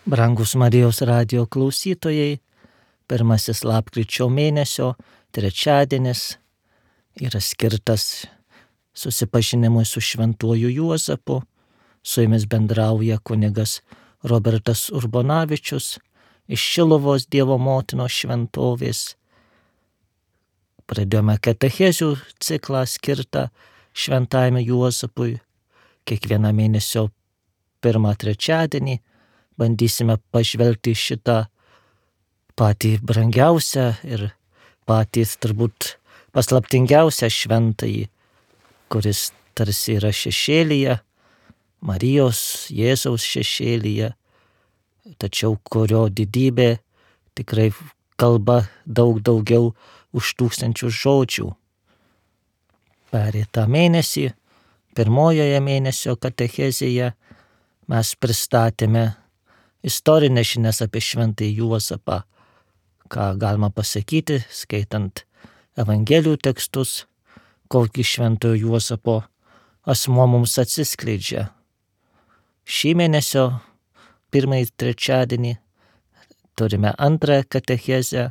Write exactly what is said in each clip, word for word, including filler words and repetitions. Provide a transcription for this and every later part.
Brangus Marijos radijo klausytojai, pirmasis lapkričio mėnesio trečiadienis yra skirtas susipažinimui su šventuoju Juozapu. Su jumis bendrauja kunigas Robertas Urbonavičius iš Šiluvos Dievo motinos šventovės. Pradėjome katechezių ciklą skirtą šventajam Juozapui. Kiekvieną mėnesio pirmą trečiadienį bandysime pažvelgti šitą patį brangiausią ir patį turbūt paslaptingiausią šventąjį, kuris tarsi yra šešėlyje, Marijos, Jėzaus šešėlyje, tačiau kurio didybė tikrai kalba daug daugiau už tūkstančių žodžių. Pereitą mėnesį, pirmojoje mėnesio katechezėje, mes pristatėme istorinės žinias apie šventąjį Juozapą, ką galima pasakyti, skaitant Evangelijų tekstus, kokį šventojo Juozapo asmuo mums atsiskleidžia. Šį mėnesio pirmąjį trečiadienį turime antrąją katechezę,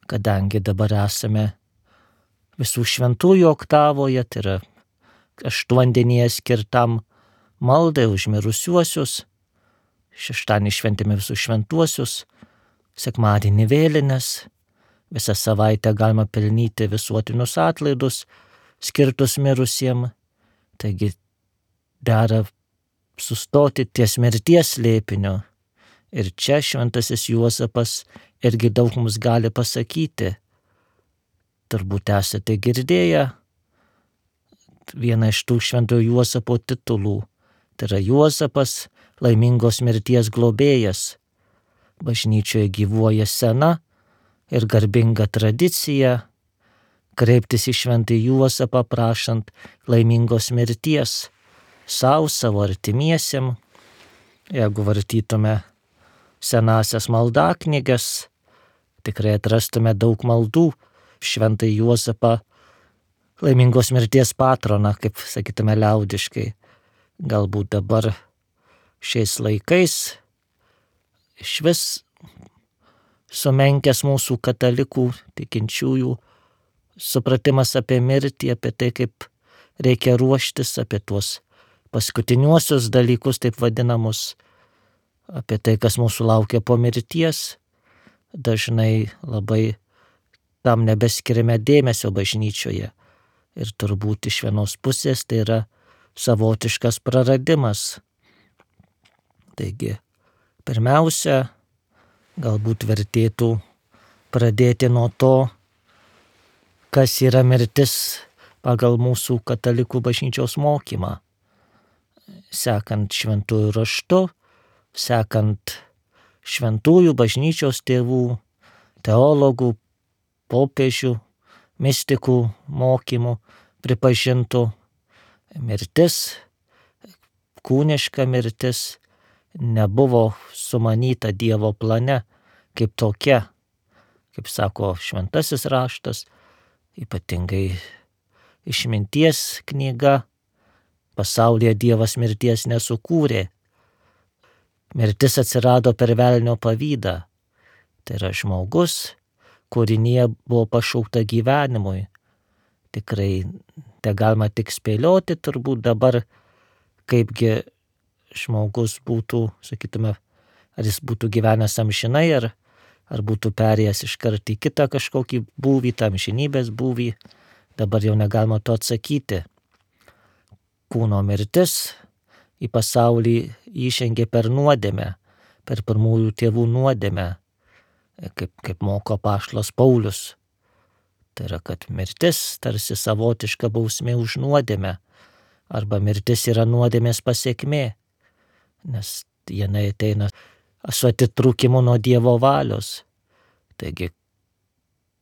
kadangi dabar esame visų šventųjų oktavoje, tai yra aštuondienyje skirtam maldai už mirusiuosius. Šeštadienį šventėme visus šventuosius, sekmadienį vėlines, visą savaitę galima pelnyti visuotinius atlaidus skirtus mirusiem. Taigi dera sustoti ties mirties slėpiniu. Ir čia šventasis Juozapas irgi daug mums gali pasakyti. Turbūt esate girdėję vieną iš tų šventojo Juozapo titulų. Tai yra Juozapas, laimingos mirties globėjas. Bažnyčioje gyvuoja sena ir garbinga tradicija kreiptis į šventąjį Juozapą prašant laimingos mirties sau, savo artimiesiem. Jeigu vartytume senasias maldaknyges, tikrai atrastume daug maldų šventąjį Juozapą, laimingos mirties patroną, kaip sakytume liaudiškai. Galbūt dabar šiais laikais išvis sumenkęs mūsų katalikų tikinčiųjų supratimas apie mirtį, apie tai, kaip reikia ruoštis, apie tuos paskutiniuosius dalykus, taip vadinamus, apie tai, kas mūsų laukia po mirties. Dažnai labai tam nebeskiriame dėmesio bažnyčioje. Ir turbūt iš vienos pusės tai yra savotiškas praradimas. Taigi, pirmiausia, galbūt vertėtų pradėti nuo to, kas yra mirtis pagal mūsų katalikų bažnyčios mokymą. Sekant šventųjų raštu, sekant šventųjų bažnyčios tėvų, teologų, popiežių, mistikų mokymų pripažintų, mirtis, kūniška mirtis, nebuvo sumanyta Dievo plane kaip tokia, kaip sako šventasis raštas, ypatingai išminties knyga. Pasaulyje Dievas mirties nesukūrė. Mirtis atsirado per velnio pavydą. Tai yra žmogus, kūrinėje buvo pašaukta gyvenimui. Tikrai te galima tik spėlioti turbūt dabar, kaipgi žmogus būtų, sakytume, ar jis būtų gyvenęs amžinai, ar, ar būtų perėjęs iškart į kitą kažkokį būvį, tą amžinybės būvį. Dabar jau negalima to atsakyti. Kūno mirtis į pasaulį įžengė per nuodėmę, per pirmųjų tėvų nuodėmę, kaip, kaip moko apaštalas Paulius. Tai yra, kad mirtis tarsi savotiška bausmė už nuodėmę, arba mirtis yra nuodėmės pasekmė, nes jinai ateina su atitrūkimu nuo Dievo valios. Taigi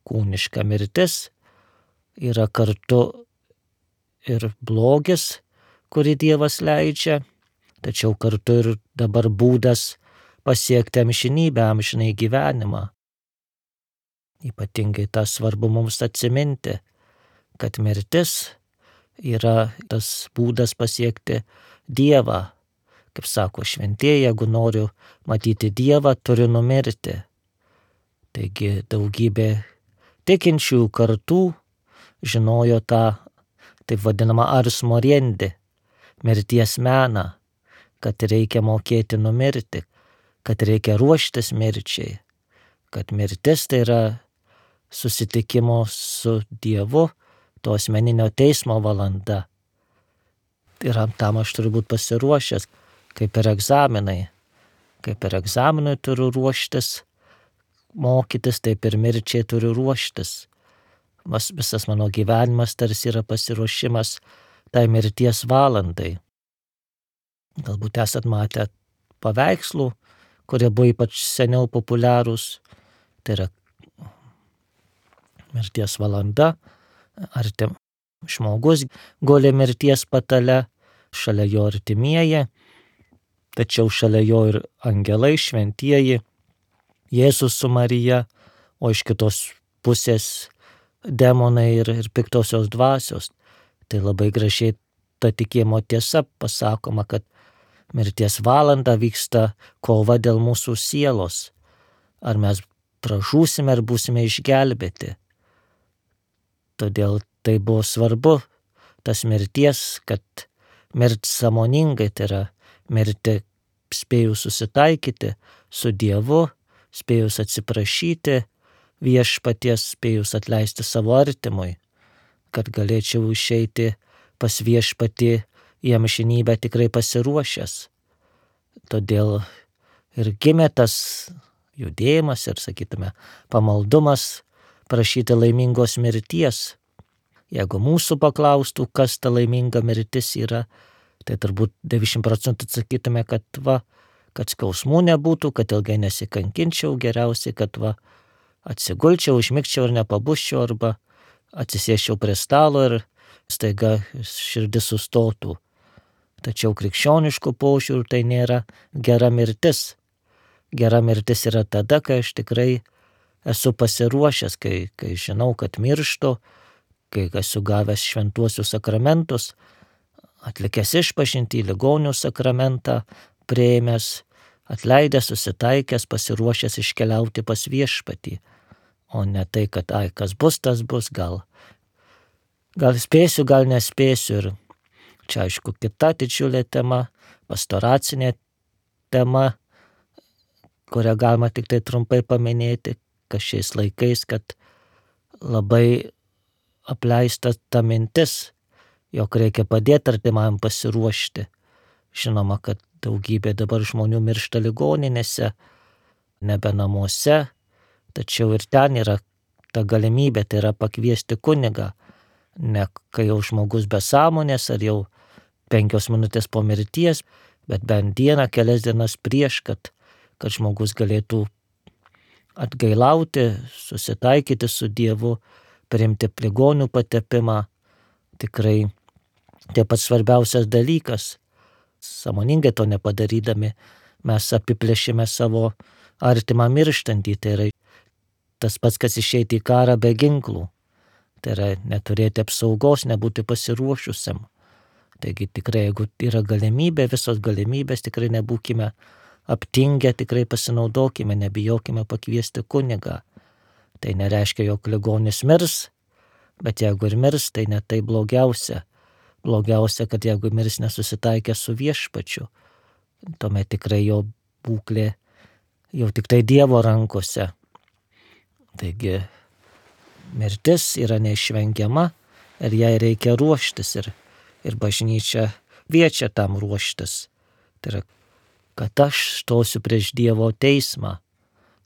kūniška mirtis yra kartu ir blogis, kurį Dievas leidžia, tačiau kartu ir dabar būdas pasiekti amžinybę, amžinai gyvenimą. Ypatingai tą svarbu mums atsiminti, kad mirtis yra tas būdas pasiekti Dievą, Kaip sako šventieji, jeigu noriu matyti Dievą, turiu numirti. Taigi daugybė tikinčiųjų kartų žinojo tą taip vadinamą ars moriendi, mirties meną, kad reikia mokėti numirti, kad reikia ruoštis mirčiai, kad mirtis tai yra susitikimo su Dievu, to asmeninio teismo valanda. Ir tam aš turiu būti pasiruošęs, kaip ir egzaminai. Kaip ir egzaminui turiu ruoštis, mokytis, taip ir mirčiai turiu ruoštis. Mas, visas mano gyvenimas tarsi yra pasiruošimas tai mirties valandai. Galbūt esat matę paveikslų, kurie buvo ypač seniau populiarūs. Tai yra mirties valanda, ar ten žmogus guli mirties patale, šalia jo artimieji, tačiau šalia jo ir angelai šventieji, Jėzus su Marija, o iš kitos pusės demonai ir, ir piktosios dvasios. Tai labai gražiai ta tikėjimo tiesa pasakoma, kad mirties valanda vyksta kova dėl mūsų sielos. Ar mes pražūsime, ar būsime išgelbėti. Todėl tai buvo svarbu, tas mirties, kad mirti sąmoningai, tai yra mirti spėjus susitaikyti su Dievu, spėjus atsiprašyti viešpaties, spėjus atleisti savo artimui, kad galėčiau išeiti pas viešpatį į amžinybę tikrai pasiruošęs. Todėl ir gimė tas judėjimas ir, sakytume, pamaldumas prašyti laimingos mirties. Jeigu mūsų paklaustų, kas ta laiminga mirtis yra, tai turbūt devyniasdešimt procentų atsakytume, kad va, kad skausmų nebūtų, kad ilgai nesikankinčiau, geriausiai, kad va, atsigulčiau, užmigčiau ir nepabusčiau, arba atsisėsčiau prie stalo ir staiga širdis sustotų. Tačiau krikščioniškų požiūrių tai nėra gera mirtis. Gera mirtis yra tada, kai aš tikrai esu pasiruošęs, kai, kai žinau, kad mirštu, kai esu gavęs šventuosius sakramentus, atlikęs išpažintį, ligonių sakramentą, priėmęs, atleidęs, susitaikęs, pasiruošęs iškeliauti pas viešpatį. O ne tai, kad ai, kas bus, tas bus, gal, gal spėsiu, gal nespėsiu. Ir čia aišku kita didžiulė tema, pastoracinė tema, kurią galima tik tai trumpai paminėti, kad šiais laikais, kad labai apleista ta mintis, jog reikia padėti artimam pasiruošti. Žinoma, kad daugybė dabar žmonių miršta ligoninėse, nebe namuose, tačiau ir ten yra ta galimybė, tai yra pakviesti kunigą, ne kai jau žmogus be sąmonės ar jau penkios minutės po mirties, bet bent dieną, kelias dienas prieš, kad, kad žmogus galėtų atgailauti, susitaikyti su Dievu, priimti ligonių patepimą. Tikrai tai pats svarbiausias dalykas. Sąmoningai to nepadarydami mes apiplėšime savo artimą mirštantį. Tai yra tas pats, kas išeiti į karą be ginklų. Tai yra neturėti apsaugos, nebūti pasiruošusiam. Taigi tikrai, jeigu yra galimybė, visos galimybės, tikrai nebūkime aptingę, tikrai pasinaudokime, nebijokime pakviesti kunigą. Tai nereiškia, jog ligonis mirs, bet jeigu ir mirs, tai ne tai blogiausia. Blogiausia, kad jeigu mirs nesusitaikė su viešpačiu, tuomet tikrai jo būklė jau tik tai Dievo rankose. Taigi mirtis yra neišvengiama ir jai reikia ruoštis ir, ir bažnyčia kviečia tam ruoštis. Tai yra, kad aš stosiu prieš Dievo teismą,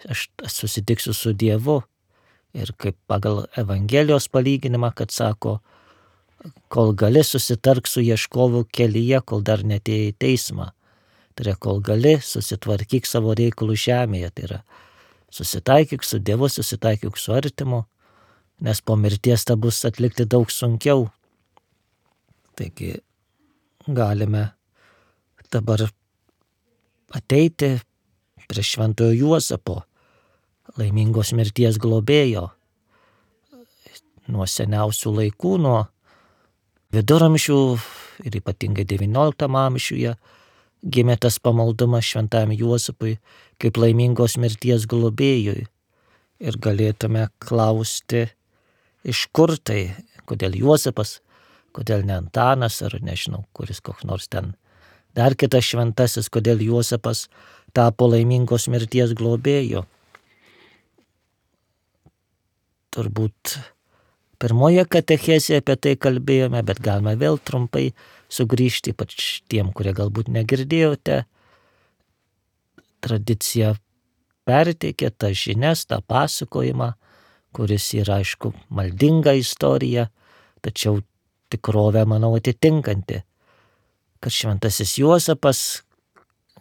aš susitiksiu su Dievu ir kaip pagal Evangelijos palyginimą, kad sako, kol gali susitark su ieškovu kelyje, kol dar netėjai į teismą. Tai yra, kol gali susitvarkyk savo reikalų žemėje, tai yra susitaikyk su Dievu, susitaikyk su artimu, nes po mirties tą bus atlikti daug sunkiau. Taigi galime dabar ateiti prie šventojo Juozapo, laimingos mirties globėjo, nuo seniausių laikų, nuo viduramžių ir ypatingai devynioliktam amžiuje gimė tas pamaldumas šventajam Juozapui kaip laimingos mirties globėjui. Ir galėtume klausti, iš kur tai, kodėl Juozapas, kodėl ne Antanas, ar nežinau, kuris koks nors ten dar kitas šventasis, kodėl Juozapas tapo laimingos mirties globėju. Turbūt pirmoje katechezėje apie tai kalbėjome, bet galime vėl trumpai sugrįžti, ypač tiem, kurie galbūt negirdėjote. Tradicija perteikė tą žinias, tą pasakojimą, kuris yra, aišku, maldinga istorija, tačiau tikrovę, manau, atitinkanti, kad šventasis Juozapas,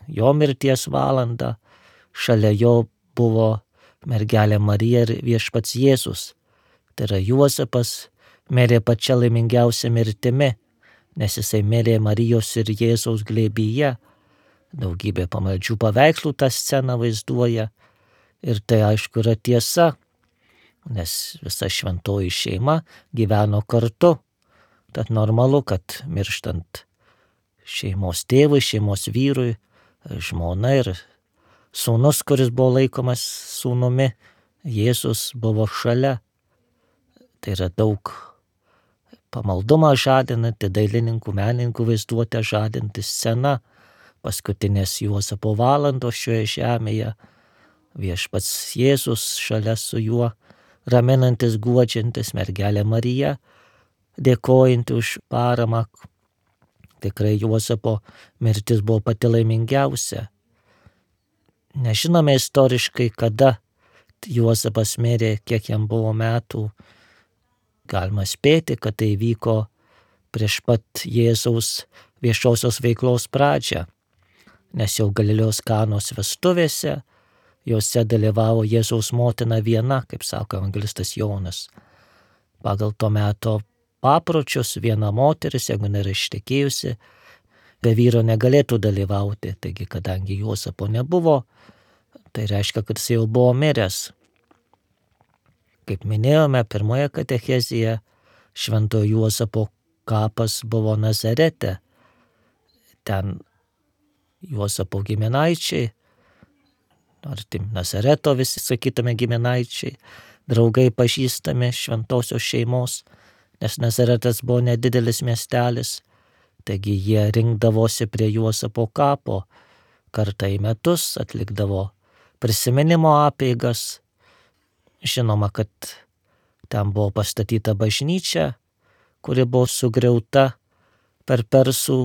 jo mirties valandą, šalia jo buvo mergelė Marija ir viešpats Jėzus. Tai yra Juozapas mirė pačia laimingiausia mirtimi, nes jisai mirė Marijos ir Jėzaus glėbyje. Daugybė pamaldžių paveikslų tą sceną vaizduoja. Ir tai aišku yra tiesa, nes visa šventoji šeima gyveno kartu. Tad normalu, kad mirštant šeimos tėvui, šeimos vyrui, žmona ir sūnus, kuris buvo laikomas sūnumi, Jėzus buvo šalia. Tai yra daug pamaldumą žadinanti, dailininkų, menininkų vaizduotę žadinti scena, paskutinės Juozapo valandos šioje žemėje, viešpats Jėzus šalia su juo, raminantis, guodžiantis, mergelė Marija, dėkojanti už paramą. Tikrai Juozapo mirtis buvo pati laimingiausia. Nežinome istoriškai, kada Juozapas mirė, kiek jam buvo metų. Galima spėti, kad tai vyko prieš pat Jėzaus viešosios veiklos pradžią, nes jau Galilėjos Kanos vestuvėse, jose dalyvavo Jėzaus motina viena, kaip sako evangelistas Jonas. Pagal to meto papročius viena moteris, jeigu nėra ištekėjusi, be vyro negalėtų dalyvauti. Taigi, kadangi Juozapo nebuvo, tai reiškia, kad jis jau buvo miręs. Kaip minėjome, pirmoje katechezėje šventojo Juozapo kapas buvo Nazarete. Ten Juozapo giminaičiai, ar tim Nazareto visi sakytume giminaičiai, draugai pažįstami šventosios šeimos, nes Nazaretas buvo nedidelis miestelis, taigi jie rinkdavosi prie Juozapo kapo, kartą į metus atlikdavo prisiminimo apeigas. Žinoma, kad ten buvo pastatyta bažnyčia, kuri buvo sugriauta per persų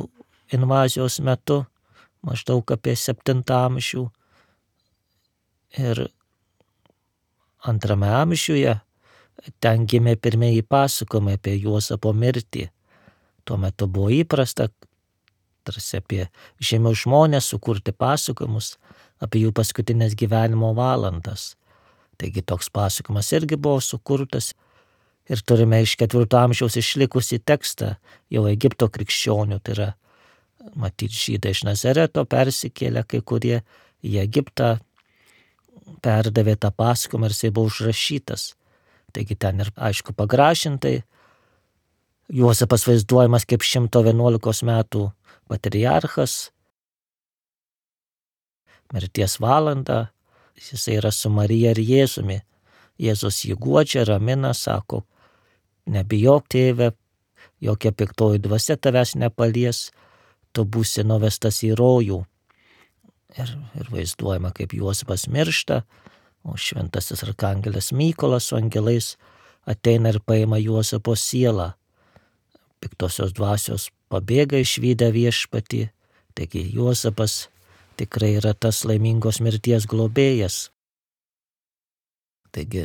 invazijos metu, maždaug apie septintą amžių. Ir antrame amžiuje ten gimė pirmieji pasakojimai apie Juozapo mirtį. Tuo metu buvo įprasta, tarsi apie žemiau žmonės, sukurti pasakojimus apie jų paskutinės gyvenimo valandas. Taigi toks pasakojimas irgi buvo sukurtas ir turime iš ketvirto amžiaus išlikusį tekstą jau Egipto krikščionių, tai yra matyti žydai iš Nazareto persikėlė, kai kurie į Egiptą perdavė tą pasakojimą ir jisai buvo užrašytas. Taigi ten ir aišku pagražintai Juozapas vaizduojamas kaip šimto vienuolikos metų patriarchas, mirties valandą. Jisai yra su Marija ir Jėzumi. Jėzus jį guodžia, ramina, sako, nebijok tėve, jokia piktoji dvasia tavęs nepalies, tu būsi nuvestas į rojų. Ir, ir vaizduojama, kaip Juozapas miršta, o šventasis arkangelas Mykolas su angelais ateina ir paima Juozapo sielą. Piktosios dvasios pabėga išvydę viešpatį, taigi Juozapas tikrai yra tas laimingos mirties globėjas. Taigi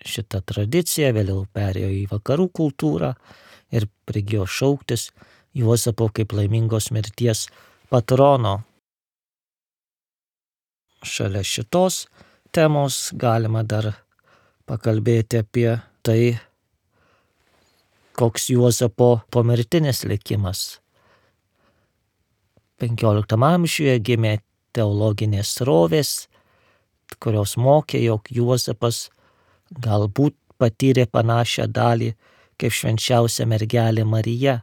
šita tradicija vėliau perėjo į vakarų kultūrą ir prigijo šauktis Juozapo kaip laimingos mirties patrono. Šalia šitos temos galima dar pakalbėti apie tai, koks Juozapo pomirtinis likimas. penkioliktam amžiuje gimė teologinės srovės, kurios mokė, jog Juozapas galbūt patyrė panašią dalį kaip švenčiausia mergelė Marija.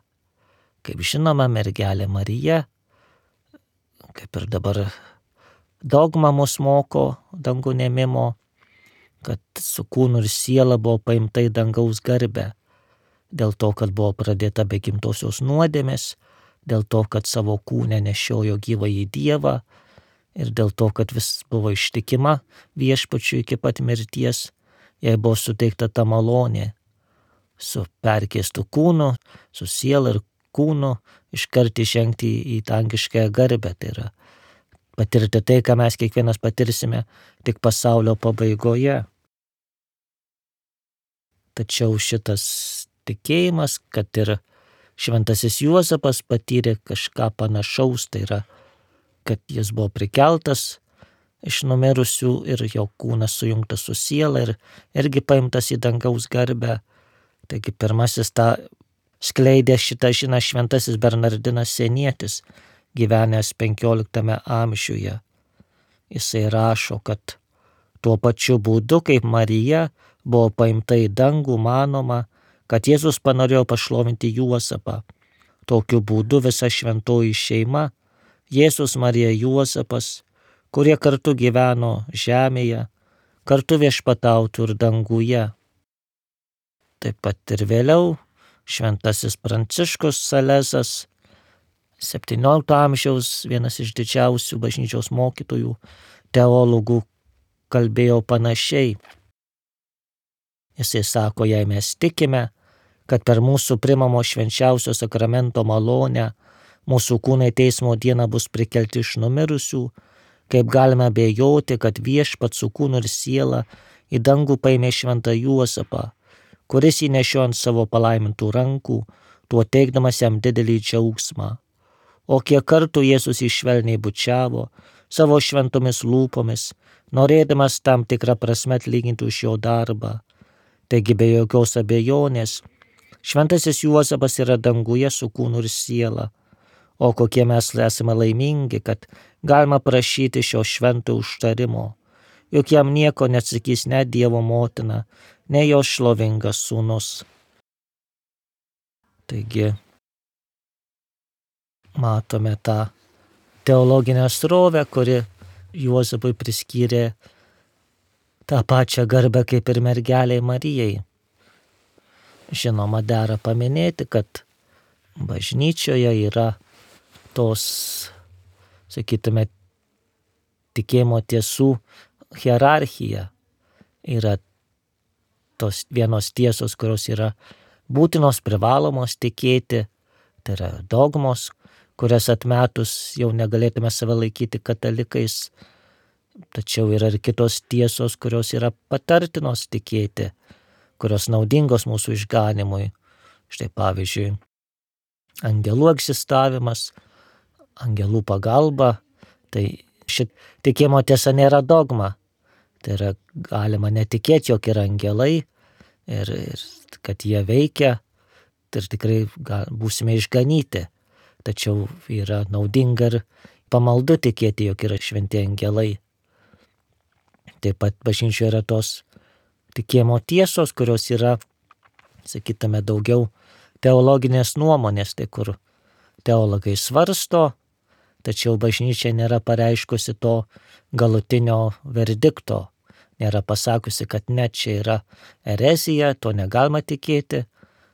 Kaip žinoma, mergelė Marija kaip ir dabar dogma mus moko dangun ėmimo, kad su kūnu ir siela buvo paimta į dangaus garbę, dėl to, kad buvo pradėta be gimtosios nuodėmės, dėl to, kad savo kūne nešiojo gyvąjį Dievą ir dėl to, kad vis buvo ištikima viešpačiui iki pat mirties, jai buvo suteikta ta malonė su perkeistu kūnu, su siela ir kūnu iškart įžengti į dangiškąją garbę. Tai yra patirti tai, ką mes kiekvienas patirsime tik pasaulio pabaigoje. Tačiau šitas tikėjimas, kad ir šventasis Juozapas patyrė kažką panašaus, tai yra, kad jis buvo prikeltas iš numirusių ir jo kūnas sujungtas su siela ir irgi paimtas į dangaus garbę. Taigi pirmasis tą skleidė šitą žinią šventasis Bernardinas Senietis, gyvenęs penkioliktame amžiuje. Jisai rašo, kad tuo pačiu būdu, kaip Marija buvo paimta į dangų, manoma, kad Jėzus panorėjo pašlovinti Juozapą. Tokiu būdu visa šventoji šeima, Jėzus, Marija, Juozapas, kurie kartu gyveno žemėje, kartu viešpatautų ir danguje. Taip pat ir vėliau šventasis Pranciškus Salezas, septyniolikto amžiaus vienas iš didžiausių bažnyčios mokytojų, teologų, kalbėjo panašiai. Jisai sako, jei mes tikime, kad per mūsų primamo švenčiausio sakramento malonę mūsų kūnai teismo dieną bus prikelti iš numirusių, kaip galime abejoti, kad viešpats su kūnu ir siela į dangų paėmė šventą Juozapą, kuris jį nešiojo ant savo palaimintų rankų, tuo teikdamas jam didelį džiaugsmą. O kiek kartų Jėzus jį švelniai bučiavo savo šventomis lūpomis, norėdamas tam tikrą prasme atlyginti už jo darbą. Taigi be jokios abejonės, šventasis Juozapas yra danguje su kūnu ir siela. O kokie mes esame laimingi, kad galima prašyti šio švento užtarimo, juk jam nieko neatsakys ne Dievo motina, ne jo šlovingas sūnus. Taigi matome tą teologinę srovę, kuri Juozapui priskyrė tą pačią garbę kaip ir mergelei Marijai. Žinoma, dera paminėti, kad bažnyčioje yra tos, sakytume, tikėjimo tiesų hierarchija. Yra tos vienos tiesos, kurios yra būtinos, privalomos tikėti, tai yra dogmos, kurias atmetus jau negalėtume save laikyti katalikais. Tačiau yra ir kitos tiesos, kurios yra patartinos tikėti, kurios naudingos mūsų išganimui. Štai pavyzdžiui, angelų egzistavimas, angelų pagalba, tai šit tikėjimo tiesa nėra dogma. Tai yra galima netikėti, jog yra angelai ir, ir kad jie veikia ir tikrai gal, būsime išganyti. Tačiau yra naudinga ir pamaldu tikėti, jog yra šventi angelai. Taip pat bažnyčioje yra tos tikėjimo tiesos, kurios yra, sakytume, daugiau teologinės nuomonės, tai kur teologai svarsto, tačiau bažnyčia nėra pareiškusi to galutinio verdikto, nėra pasakusi, kad ne, čia yra erezija, to negalima tikėti,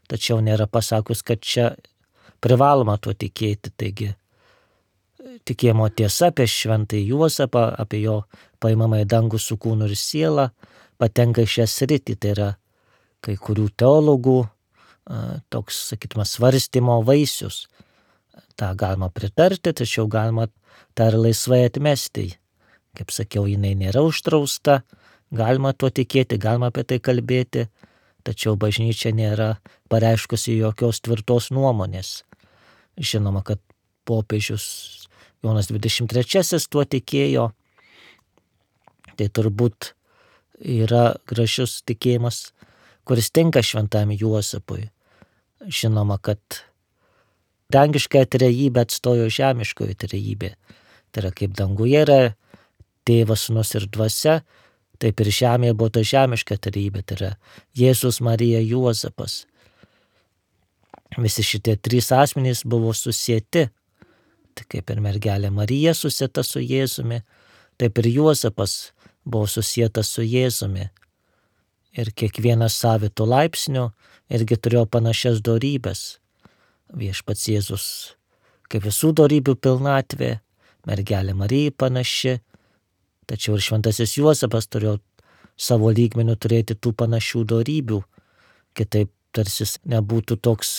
tačiau nėra pasakus, kad čia privaloma tuo tikėti. Taigi tikėjimo tiesa apie šventąjį Juozapą, apie jo paimamą į dangų su kūnu ir siela, patenka į šią sritį. Tai yra kai kurių teologų toks, sakytume, svarstymo vaisius. tą galima pritarti, tačiau galima tą ir laisvai atmesti. Kaip sakiau, jinai nėra uždrausta, galima tuo tikėti, galima apie tai kalbėti, tačiau bažnyčia nėra pareiškusi jokios tvirtos nuomonės. Žinoma, kad popiežius Jonas dvidešimt trečiasis tuo tikėjo, tai turbūt yra gražus tikėjimas, kuris tinka šventam Juozapui. Žinoma, kad dangiškąją trejybę atstojo žemiškoji trejybė. Tai yra kaip danguje yra Tėvas, Sūnus ir Dvasia, taip ir žemėje buvo ta žemiška trejybė, tai yra Jėzus, Marija, Juozapas. Visi šitie trys asmenys buvo susieti kaip ir mergelė Marija susieta su Jėzumi, taip ir Juozapas buvo susietas su Jėzumi. Ir kiekvienas savitų laipsnių irgi turėjo panašias dorybės. Viešpats Jėzus kaip visų dorybių pilnatvė, mergelė Marija panaši, tačiau ir šventasis Juozapas turėjo savo lygmenių turėti tų panašių dorybių, kitaip tarsi nebūtų toks,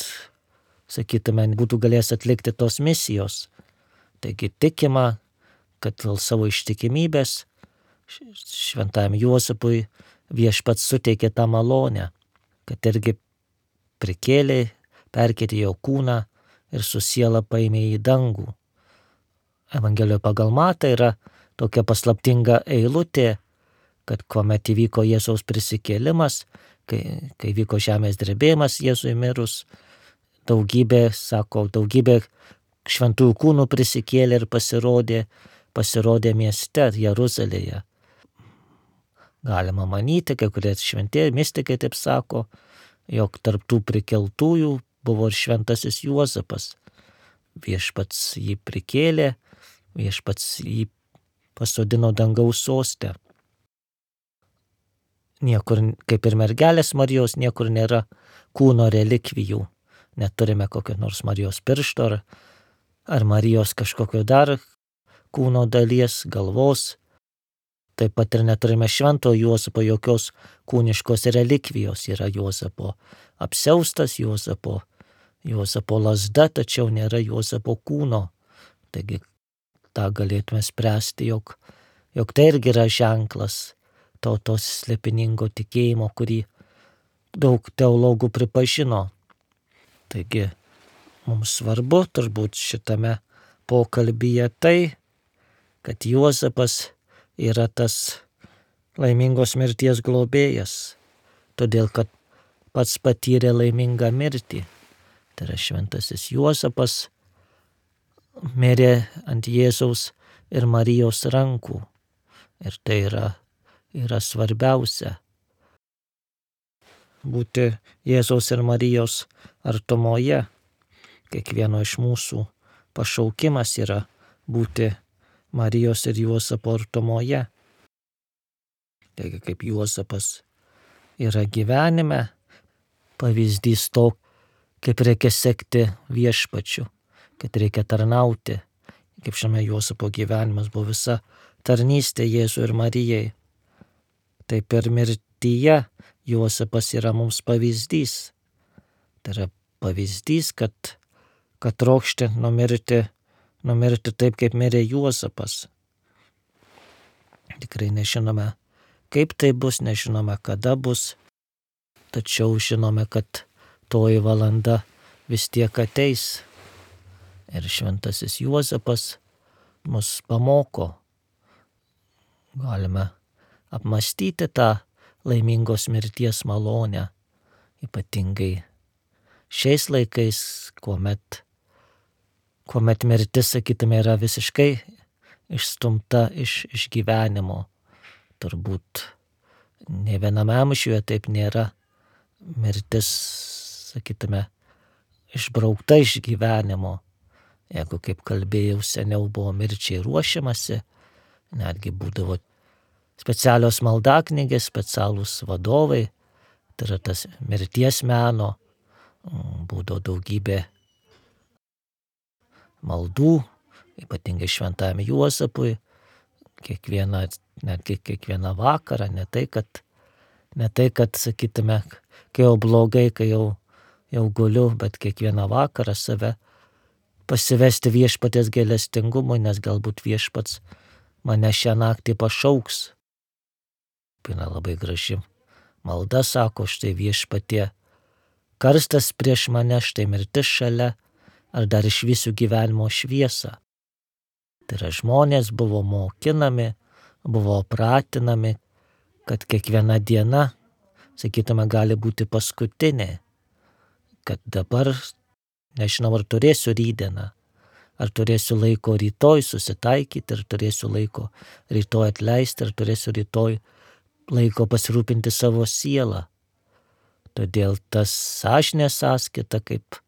sakytume, būtų galėjęs atlikti tos misijos. Taigi tikima, kad dėl savo ištikimybės šventajam Juozapui viešpats suteikė tą malonę, kad irgi prikėlė, perkėtė jo kūną ir su siela paėmė į dangų. Evangelijoje pagal Matą yra tokia paslaptinga eilutė, kad kuomet įvyko Jėzaus prisikėlimas, kai, kai vyko žemės drebėjimas Jėzui mirus, daugybė, sako, daugybė šventųjų kūnų prisikėlė ir pasirodė, pasirodė mieste Jeruzalėje. Galima manyti, kai kurie šventieji mistikai taip sako, jog tarp tų prikeltųjų buvo ir šventasis Juozapas. Viešpats jį prikėlė, viešpats jį pasodino dangaus soste. Niekur, kaip ir mergelės Marijos, niekur nėra kūno relikvijų. Neturime kokio nors Marijos piršto ar, ar Marijos kažkokio dar kūno dalies, galvos. Taip pat ir neturime švento Juozapo jokios kūniškos relikvijos. Yra Juozapo apsiaustas, Juozapo, Juozapo lazda, tačiau nėra Juozapo kūno. Taigi tą galėtume spręsti, jog, jog tai irgi yra ženklas tautos slėpiningo tikėjimo, kurį daug teologų pripažino. Taigi mums svarbu turbūt šitame pokalbyje tai, kad Juozapas yra tas laimingos mirties globėjas, todėl kad pats patyrė laimingą mirtį. Tai yra šventasis Juozapas mirė ant Jėzaus ir Marijos rankų. Ir tai yra, yra svarbiausia. Būti Jėzaus ir Marijos artumoje. Kiekvieno iš mūsų pašaukimas yra būti Marijos ir Juozapo artumoje. Taigi kaip Juozapas yra gyvenime, pavyzdys to, kaip reikia sekti viešpačiu, kad reikia tarnauti. Kaip žinome, Juozapo gyvenimas buvo visa tarnystė Jėzui ir Marijai. Taip ir mirtyje Juozapas yra mums pavyzdys. Tai yra pavyzdys, kad, kad trokšti numirti, numirti taip, kaip mirė Juozapas. Tikrai nežinome, kaip tai bus, nežinome, kada bus, tačiau žinome, kad toji valanda vis tiek ateis. Ir šventasis Juozapas mus pamoko. Galime apmąstyti tą laimingos mirties malonę, ypatingai šiais laikais, kuomet, kuomet mirtis, sakytume, yra visiškai išstumta iš, iš gyvenimo. Turbūt ne viename amžiuje taip nėra. Mirtis, sakytume, išbraukta iš gyvenimo. Jeigu, kaip kalbėjau, seniau buvo mirčiai ruošiamasi, netgi būdavo specialios maldaknygės, specialūs vadovai, tai yra tas mirties meno, būdavo daugybė maldų, ypatingai šventajam Juozapui, kiekvieną, netgi kiekvieną vakarą, ne tai, kad, ne tai, kad sakytume, kai jau blogai, kai jau, jau guliu, bet kiekvieną vakarą save pasivesti viešpaties gailestingumui, nes galbūt viešpats mane šią naktį pašauks. Yra labai graži malda, sako, štai viešpatie, karstas prieš mane, štai mirtis šalia, ar dar išvysiu gyvenimo šviesą. Tai yra žmonės buvo mokinami, buvo pratinami, kad kiekviena diena, sakytume, gali būti paskutinė, kad dabar nežinau, ar turėsiu rytdieną, ar turėsiu laiko rytoj susitaikyti, ar turėsiu laiko rytoj atleisti, ar turėsiu rytoj laiko pasirūpinti savo sielą. Todėl tas sąžinės sąskaita, kaip,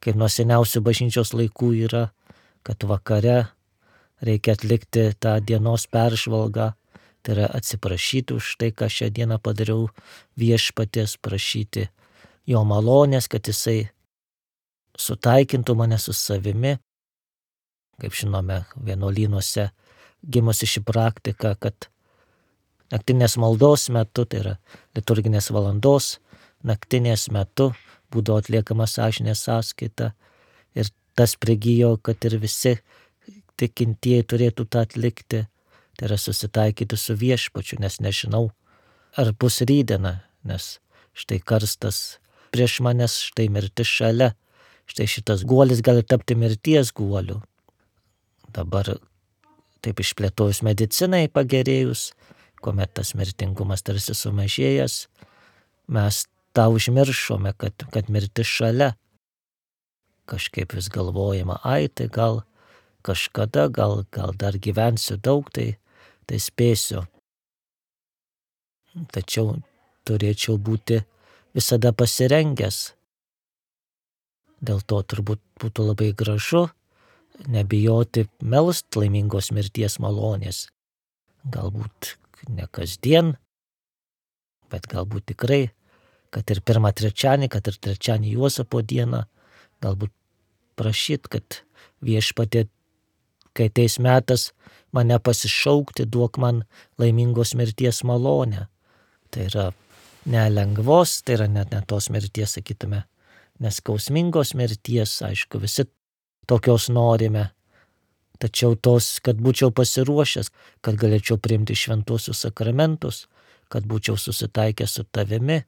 kaip nuo seniausių bažnyčios laikų yra, kad vakare reikia atlikti tą dienos peržvalgą, tai yra atsiprašyti už tai, ką šią dieną padariau viešpaties, prašyti jo malonės, kad jisai sutaikintų mane su savimi. Kaip žinome, vienuolynuose gimusi ši praktika, kad naktinės maldos metu, tai yra liturginės valandos, naktinės metu būdavo atliekama sąžinės sąskaita ir tas prigijo, kad ir visi tikintieji turėtų tą atlikti, tai yra susitaikyti su viešpačiu, nes nežinau, ar bus rytdiena, nes štai karstas prieš manęs, štai mirtis šalia, štai šitas guolis gali tapti mirties guoliu. Dabar taip išplėtojus medicinai pagerėjus, kuomet tas mirtingumas tarsi sumažėjęs, mes tą užmiršome, kad, kad mirtis šalia. Kažkaip vis galvojama, ai tai gal kažkada, gal, gal dar gyvensiu daug, tai, tai spėsiu. Tačiau turėčiau būti visada pasirengęs. Dėl to turbūt būtų labai gražu nebijoti melst laimingos mirties malonės. Galbūt ne kasdien, bet galbūt tikrai, kad ir pirmą trečianį, kad ir trečianį Juozapo dieną, galbūt prašyt, kad viešpatie, kai ateis metas mane pasišaukti, duok man laimingos mirties malonę. Tai yra nelengvos, tai yra net ne tos mirties, sakytume, neskausmingos mirties, aišku, visi tokios norime, tačiau tos, kad būčiau pasiruošęs, kad galėčiau priimti šventuosius sakramentus, kad būčiau susitaikęs su tavimi,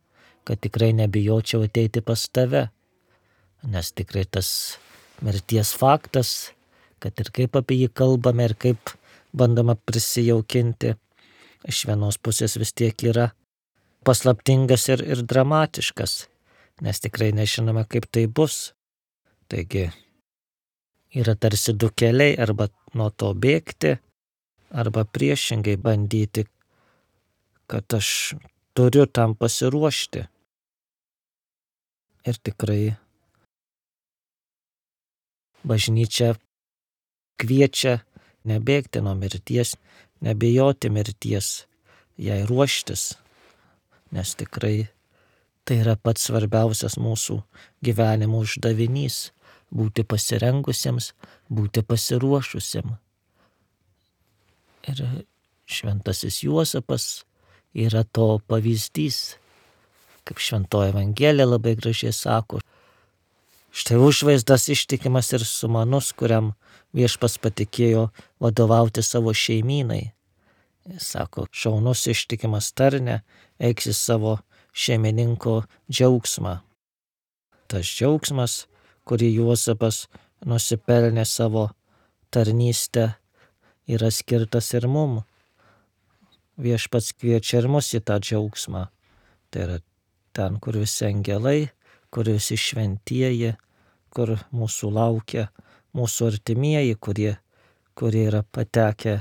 kad tikrai nebijočiau ateiti pas tave, nes tikrai tas mirties faktas, kad ir kaip apie jį kalbame ir kaip bandoma prisijaukinti, iš vienos pusės vis tiek yra paslaptingas ir, ir dramatiškas, nes tikrai nežinome, kaip tai bus. Taigi yra tarsi du keliai, arba nuo to bėgti, arba priešingai bandyti, kad aš turiu tam pasiruošti. Ir tikrai bažnyčia kviečia nebėgti nuo mirties, nebijoti mirties, jai ruoštis, nes tikrai tai yra pats svarbiausias mūsų gyvenimo uždavinys – būti pasirengusiems, būti pasiruošusiems. Ir šventasis Juozapas yra to pavyzdys, kaip šventoji Evangelija labai gražiai sako. Štai užvaizdas ištikimas ir sumanus, kuriam viešpas patikėjo vadovauti savo šeimynai. Jis sako, šaunus ištikimas tarne, eiksi savo šeimininko džiaugsmą. Tas džiaugsmas, kurį Juozapas nusipelnė savo tarnystę, yra skirtas ir mum. Viešpats kviečia ir mus į tą džiaugsmą. Tai yra ten, kur visi angelai, kur visi šventieji, kur mūsų laukia mūsų artimieji, kurie, kurie yra patekę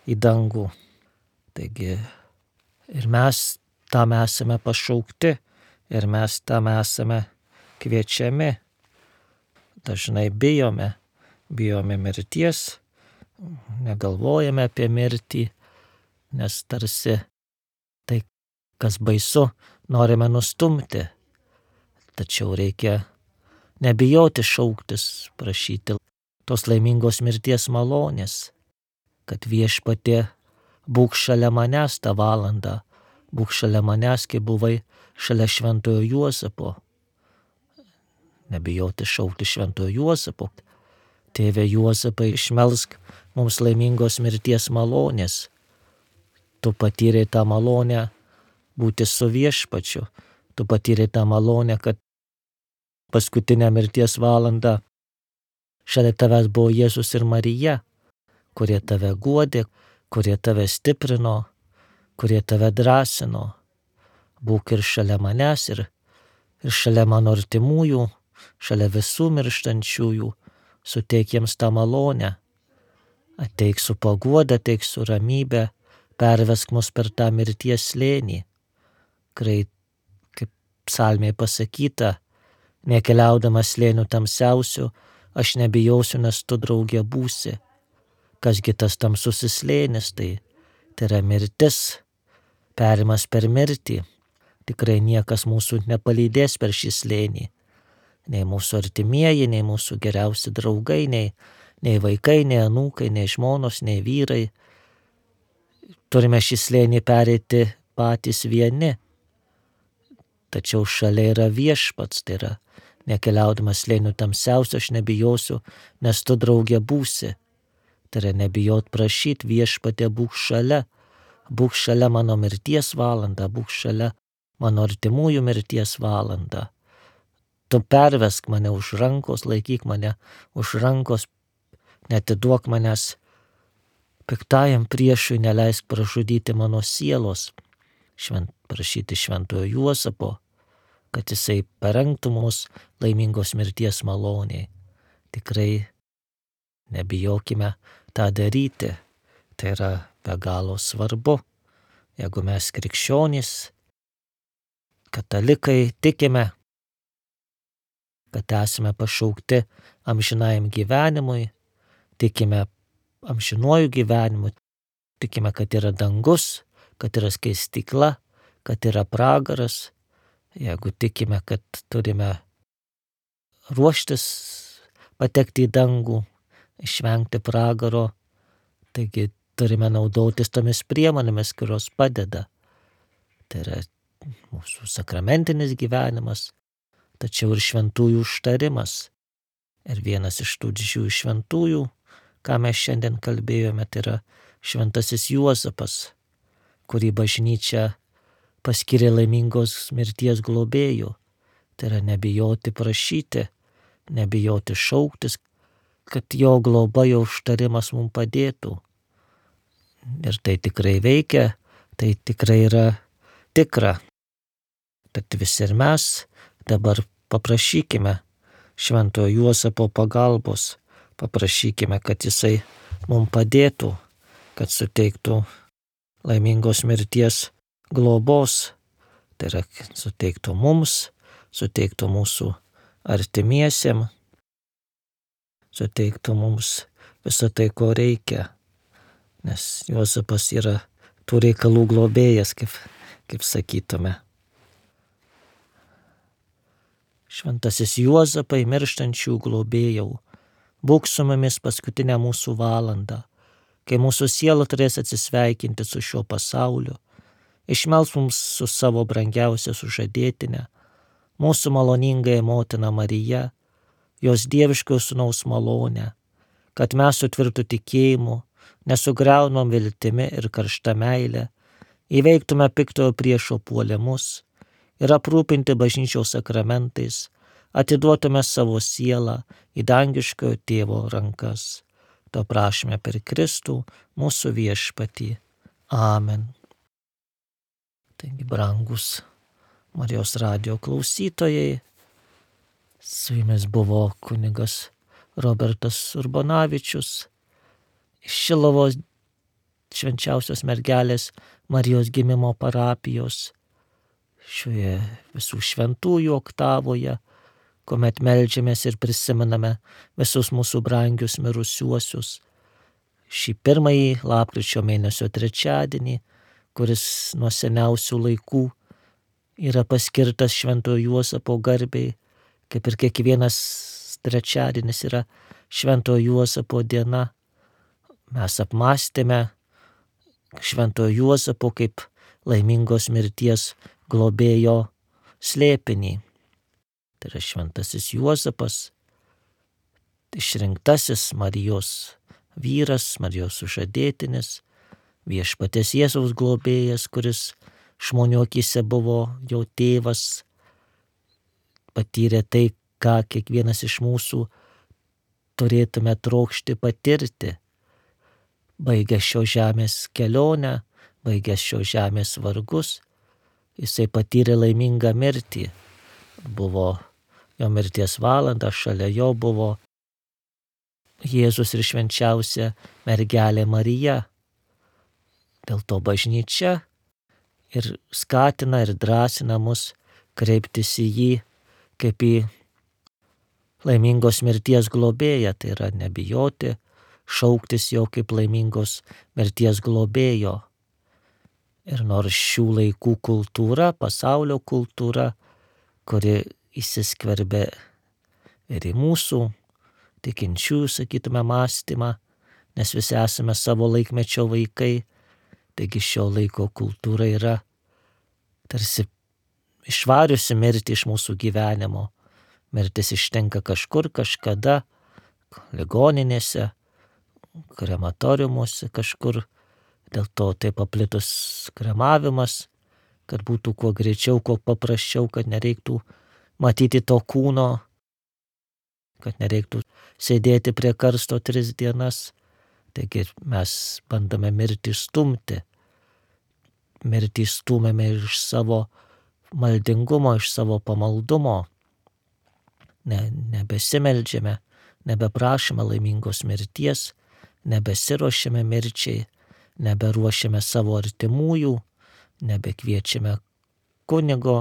į dangų. Taigi ir mes tam esame pašaukti, ir mes tam esame kviečiami. Dažnai bijome, bijome mirties, negalvojame apie mirtį, nes tarsi tai, kas baisu, norime nustumti. Tačiau reikia nebijoti šauktis, prašyti tos laimingos mirties malonės, kad viešpatie būk šalia manęs tą valandą, būk šalia manęs, kai buvai šalia šventojo Juozapo. Nebijoti šaukti šventojo Juozapo. Tėve Juozapai, išmelsk mums laimingos mirties malonės. Tu patyrei tą malonę būti su viešpačiu. Tu patyrei tą malonę, kad paskutinę mirties valandą šalia tavęs buvo Jėzus ir Marija, kurie tave guodė, kurie tave stiprino, kurie tave drąsino. Būk ir šalia manęs, ir, ir šalia mano artimųjų, šalia visų mirštančiųjų, suteik jiems tą malonę. Ateik su paguoda, ateik su ramybė, pervesk mus per tą mirties slėnį. Kai, kaip psalmėje pasakyta, nekeliaudamas slėnių tamsiausių, aš nebijosiu, nes tu draugė būsi. Kasgi tas tamsusis slėnis, tai tai yra mirtis, perimas per mirtį. Tikrai niekas mūsų nepalydės per šį slėnį. Nei mūsų artimieji, nei mūsų geriausi draugai, nei, nei vaikai, nei anūkai, nei žmonos, nei vyrai. Turime šį slėnį pereiti patys vieni. Tačiau šalia yra viešpats, tai yra nekeliaudamas slėnių tamsiausiu, aš nebijosiu, nes tu draugė būsi. Tai yra nebijot prašyti, viešpatė būk šalia, būk šalia mano mirties valandą, būk šalia mano artimųjų mirties valandą. Tu pervesk mane už rankos, laikyk mane už rankos, netiduok manęs piktajam priešui, neleisk pražudyti mano sielos. Švent, prašyti šventojo Juozapo, kad jisai parengtų mus laimingos mirties maloniai. Tikrai nebijokime tą daryti. Tai yra be galo svarbu. Jeigu mes krikščionys, katalikai tikime, kad esame pašaukti amžinajam gyvenimui, tikime amžinuoju gyvenimu, tikime, kad yra dangus, kad yra skaistykla, kad yra pragaras. Jeigu tikime, kad turime ruoštis patekti į dangų, išvengti pragaro, taigi turime naudotis tomis priemonėmis, kurios padeda. Tai yra mūsų sakramentinis gyvenimas, tačiau ir šventųjų užtarimas. Ir vienas iš tų didžiųjų šventųjų, ką mes šiandien kalbėjome, tai yra šventasis Juozapas, kurį bažnyčia paskyrė laimingos mirties globėjų. Tai yra nebijoti prašyti, nebijoti šauktis, kad jo globa, jo užtarimas mums padėtų. Ir tai tikrai veikia, tai tikrai yra tikra. Tad visi ir mes dabar paprašykime šventojo Juozapo pagalbos, paprašykime, kad jisai mums padėtų, kad suteiktų laimingos mirties globos, tai yra suteiktų mums, suteiktų mūsų artimiesiem, suteiktų mums visą tai, ko reikia, nes Juozapas yra tų reikalų globėjas, kaip, kaip sakytume. Šventasis Juozapai, mirštančių globėjau, būk su mumis paskutinę mūsų valandą, kai mūsų siela turės atsisveikinti su šiuo pasauliu. Išmelsk mums su savo brangiausia sužadėtine, mūsų maloningąją motiną Mariją, jos dieviškojo sūnaus malonę, kad mes su tvirtu tikėjimu, nesugriaunom viltimi ir karšta meile, įveiktume piktojo priešo puolimus ir aprūpinti bažnyčios sakramentais, atiduotume savo sielą į dangiškojo tėvo rankas. To prašome per Kristų, mūsų viešpatį. Amen. Taigi, brangus Marijos radijo klausytojai, su jumis buvo kunigas Robertas Urbonavičius iš Šiluvos švenčiausios mergelės Marijos gimimo parapijos, šioje visų šventųjų oktavoje, kuomet meldžiamės ir prisimename visus mūsų brangius mirusiuosius. Šį pirmąjį lapkričio mėnesio trečiadienį, kuris nuo seniausių laikų yra paskirtas šventojo Juozapo garbei, kaip ir kiekvienas trečiadienis yra šventojo Juozapo diena. Mes apmąstėme šventojo Juozapo kaip laimingos mirties globėjo slėpinį. Tai yra šventasis Juozapas, išrinktasis Marijos vyras, Marijos sužadėtinis, viešpaties Jėzaus globėjas, kuris žmonių akyse buvo jo tėvas, patyrė tai, ką kiekvienas iš mūsų turėtume trokšti patirti. Baigęs šios žemės kelionę, baigęs šios žemės vargus, jisai patyrė laimingą mirtį. Buvo jo mirties valanda, šalia jo buvo Jėzus ir švenčiausia mergelė Marija. Dėl to bažnyčia ir skatina ir drąsina mus kreiptis į jį kaip į laimingos mirties globėją, tai yra nebijoti, šauktis jo kaip laimingos mirties globėjo. Ir nors šių laikų kultūra, pasaulio kultūra, kuri įsiskverbė ir į mūsų tikinčiųjų, sakytume, mąstymą, nes visi esame savo laikmečio vaikai, taigi šio laiko kultūra yra tarsi išvariusi mirtį iš mūsų gyvenimo. Mirtis ištinka kažkur, kažkada, ligoninėse, krematoriumuose kažkur, dėl to taip paplitus kremavimas, kad būtų kuo greičiau, kuo paprasčiau, kad nereiktų matyti to kūno, kad nereiktų sėdėti prie karsto tris dienas. Taigi mes bandome mirtį stumti. Mirtį stumėme iš savo maldingumo, iš savo pamaldumo. Ne, nebesimeldžiame, nebeprašome laimingos mirties, nebesiruošiame mirčiai, neberuošiame savo artimųjų, nebekviečiame kunigo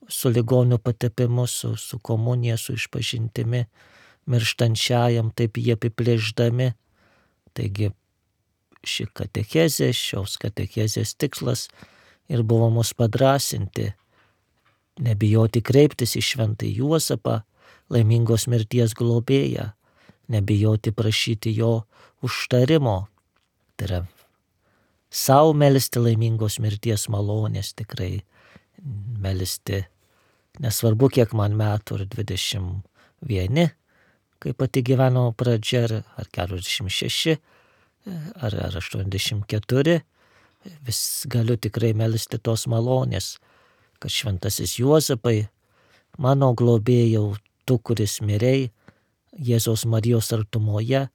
su ligonių patepimu, su, su komunija, su išpažintimi, mirštančiajam, taip jie apiplėždami. Taigi ši katechezė, šios katechezės tikslas ir buvo mus padrasinti, nebijoti kreiptis į šventąjį Juozapą, laimingos mirties globėją, nebijoti prašyti jo užtarimo, tai yra sau melsti laimingos mirties malonės, tikrai melsti, nesvarbu kiek man metų, ar dvidešimt vieni, kai pati gyvenimo pradžia, ar keturiasdešimt šeši, ar, ar aštuoniasdešimt keturi, vis galiu tikrai melsti tos malonės, kad šventasis Juozapai, mano globėjau, tu, kuris mirei Jėzaus Marijos artumoje,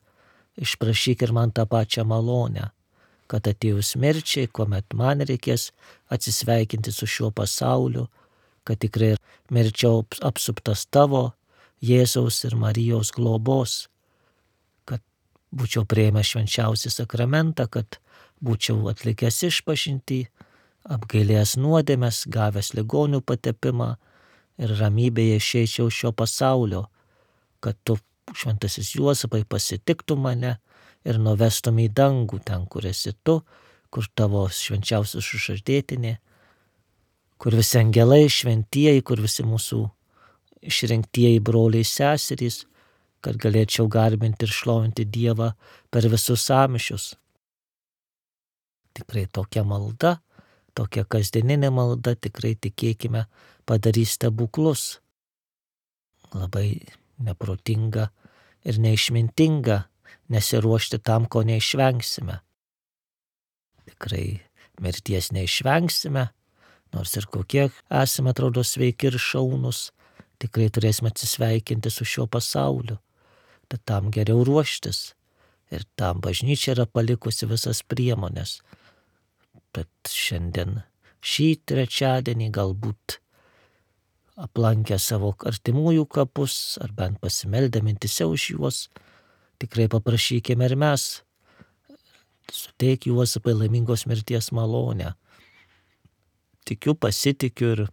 išprašyk ir man tą pačią malonę, kad atėjus mirčiai, kuomet man reikės atsisveikinti su šiuo pasauliu, kad tikrai mirčiau apsuptas tavo Jėzaus ir Marijos globos, kad būčiau priėmęs švenčiausią sakramentą, kad būčiau atlikęs išpažintį, apgailėjęs nuodėmes, gavęs ligonių patepimą ir ramybėje išeičiau šio pasaulio, kad tu, šventasis Juozapai, pasitiktum mane ir nuvestum į dangų, ten, kur esi tu, kur tavo švenčiausias sužadėtinė, kur visi angelai šventieji, kur visi mūsų išrinktieji broliai seserys, kad galėčiau garbinti ir šlovinti Dievą per visus amžius. Tikrai tokia malda, tokia kasdieninė malda, tikrai tikėkime, padarys stebuklus. Labai neprotinga ir neišmintinga nesiruošti tam, ko neišvengsime. Tikrai mirties neišvengsime, nors ir kokie esame, atrodo, sveiki ir šaunus, tikrai turėsime atsisveikinti su šiuo pasauliu. Tad tam geriau ruoštis. Ir tam bažnyčia yra palikusi visas priemonės. Bet šiandien šį trečiadienį galbūt aplankę savo artimųjų kapus, ar bent pasimeldę mintyse už juos, tikrai paprašykime ir mes, suteik Juozapai laimingos mirties malonę. Tikiu, pasitikiu ir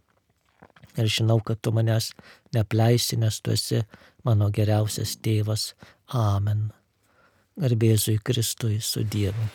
Ir žinau, kad tu manęs neapleisi, nes tu esi mano geriausias tėvas. Amen. Garbė Jėzui Kristui, su Dievu.